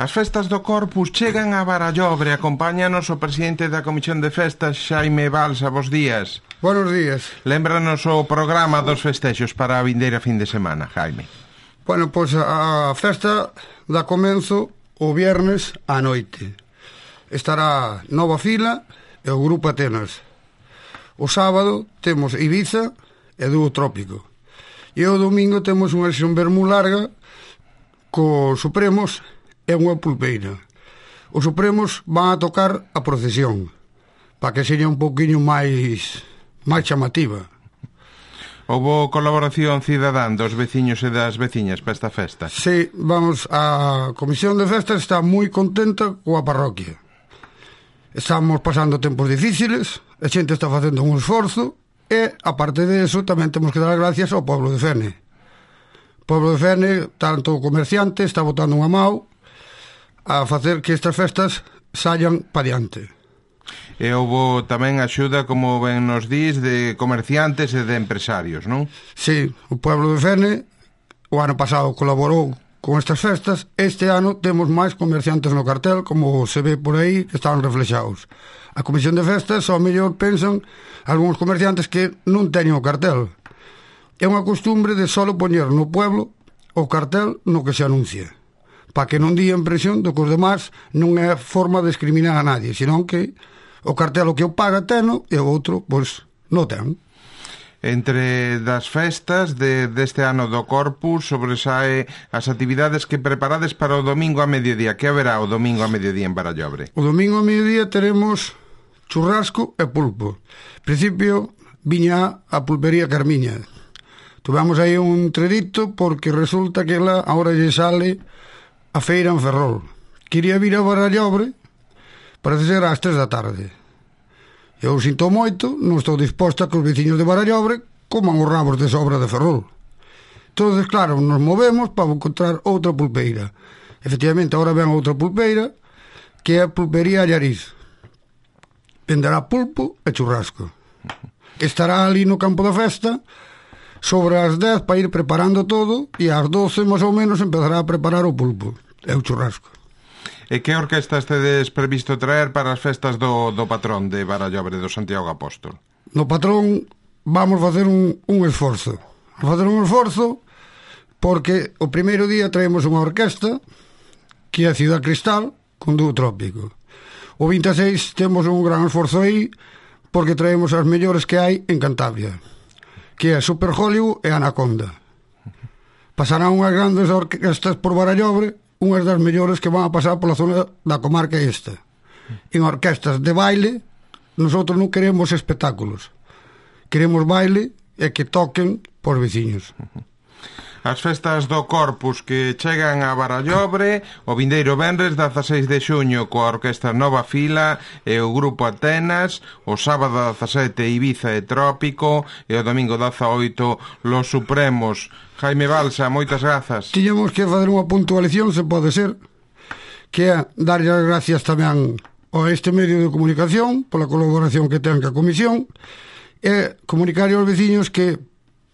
As festas do Corpus chegan a Barallobre. Acompáñanos o presidente da Comisión de Festas, Xaime Balsa. Bos días. Buenos días. Lémbranos o programa dos festexos para a vindeira fin de semana, Jaime. Bueno, pois a festa dá comenzo o viernes á noite. Estará Nova Fila e o Grupo Atenas. O sábado temos Ibiza e Dúo Trópico. E o domingo temos unha sesión vermú larga co Supremos e unha pulpeira. Os Supremos van a tocar a procesión para que seña un pouquiño máis chamativa. Houbo colaboración cidadán dos veciños e das veciñas para esta festa? Sí, vamos, a Comisión de Festas está moi contenta coa parroquia. Estamos pasando tempos difíciles, a xente está facendo un esforzo e, aparte de eso, tamén temos que dar as gracias ao Pueblo de Fene. O Pueblo de Fene, tanto o comerciante, está botando unha mão a facer que estas festas saian pa diante. E houve tamén axuda, como ben nos dís, de comerciantes e de empresarios, non? Sí, o Pueblo de Fene o ano pasado colaborou con estas festas. Este ano temos máis comerciantes no cartel, como se ve por aí, que están reflexados. A Comisión de Festas, ao mellor, pensan algúns comerciantes que non teñen o cartel. É unha costumbre de solo poñer no pueblo o cartel no que se anuncia, para que non dí a impresión do que os demás non é forma de discriminar a nadie, senón que o cartel o que o paga teno e o outro, pois, non ten. Entre das festas deste ano do Corpus sobresae as actividades que preparades para o domingo a mediodía. Que haberá o domingo a mediodía en Barallobre? O domingo a mediodía teremos churrasco e pulpo. En principio viña a pulpería Carmiña. Tuvemos aí un tredito porque resulta que ela agora lle sale a feira en Ferrol. Quería vir a Barallobre, parece ser ás 3 da tarde. Eu sinto moito, non estou disposta que os veciños de Barallobre coman os rabos de sobra de Ferrol. Entonces, claro, nos movemos para encontrar outra pulpeira. Efectivamente, agora ven outra pulpeira, que é a pulpería Allariz. Venderá pulpo e churrasco. Estará ali no campo da festa sobre as 10 para ir preparando todo, e ás 12 máis ou menos empezará a preparar o pulpo e o churrasco. E que orquestas tedes previsto traer para as festas do patrón de Barallobre, do Santiago Apóstol? No patrón vamos facer un esforzo. Vamos facer un esforzo porque o primeiro día traemos unha orquesta que é a Ciudad Cristal con Dúo Trópico. O 26 temos un gran esforzo aí porque traemos as mellores que hai en Cantabria, que é Super Hollywood e Anaconda. Pasarán unhas grandes orquestas por Barallobre, unhas das mellores que van a pasar pola zona da comarca esta. En orquestas de baile, nosotros non queremos espectáculos, queremos baile e que toquen por veciños. As festas do Corpus que chegan a Barallobre o vindeiro venres 16 de xuño coa Orquestra Nova Fila e o Grupo Atenas, o sábado 17 Ibiza e Trópico e o domingo 18 Los Supremos. Jaime Balsa, moitas grazas. Tiñamos que fazer unha puntualización, se pode ser, que é darlle as gracias tamén a este medio de comunicación pola colaboración que ten ca Comisión e comunicar aos veciños que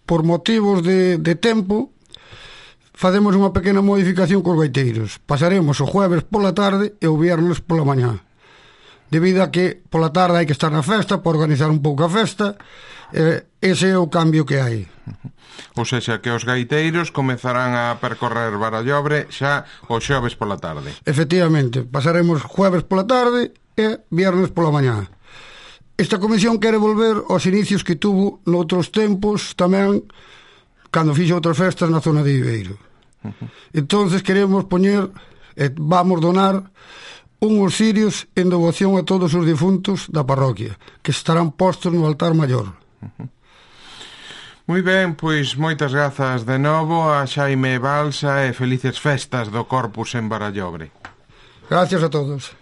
por motivos de tempo facemos unha pequena modificación cos gaiteiros. Pasaremos o jueves pola tarde e o viernes pola mañá, debido a que pola tarde hai que estar na festa para organizar un pouco a festa. Ese é o cambio que hai. Ou seja, que os gaiteiros comezarán a percorrer Barallobre xa o xoves pola tarde. Efectivamente, pasaremos jueves pola tarde e viernes pola mañá. Esta comisión quere volver aos inicios que tuvo noutros tempos tamén, cando fixo outras festas na zona de Viveiro. Entonces queremos poñer, vamos donar unhos cirios en devoción a todos os difuntos da parroquia, que estarán postos no altar maior. Moi ben, pois moitas grazas de novo a Xaime Balsa e felices festas do Corpus en Barallobre. Gracias a todos.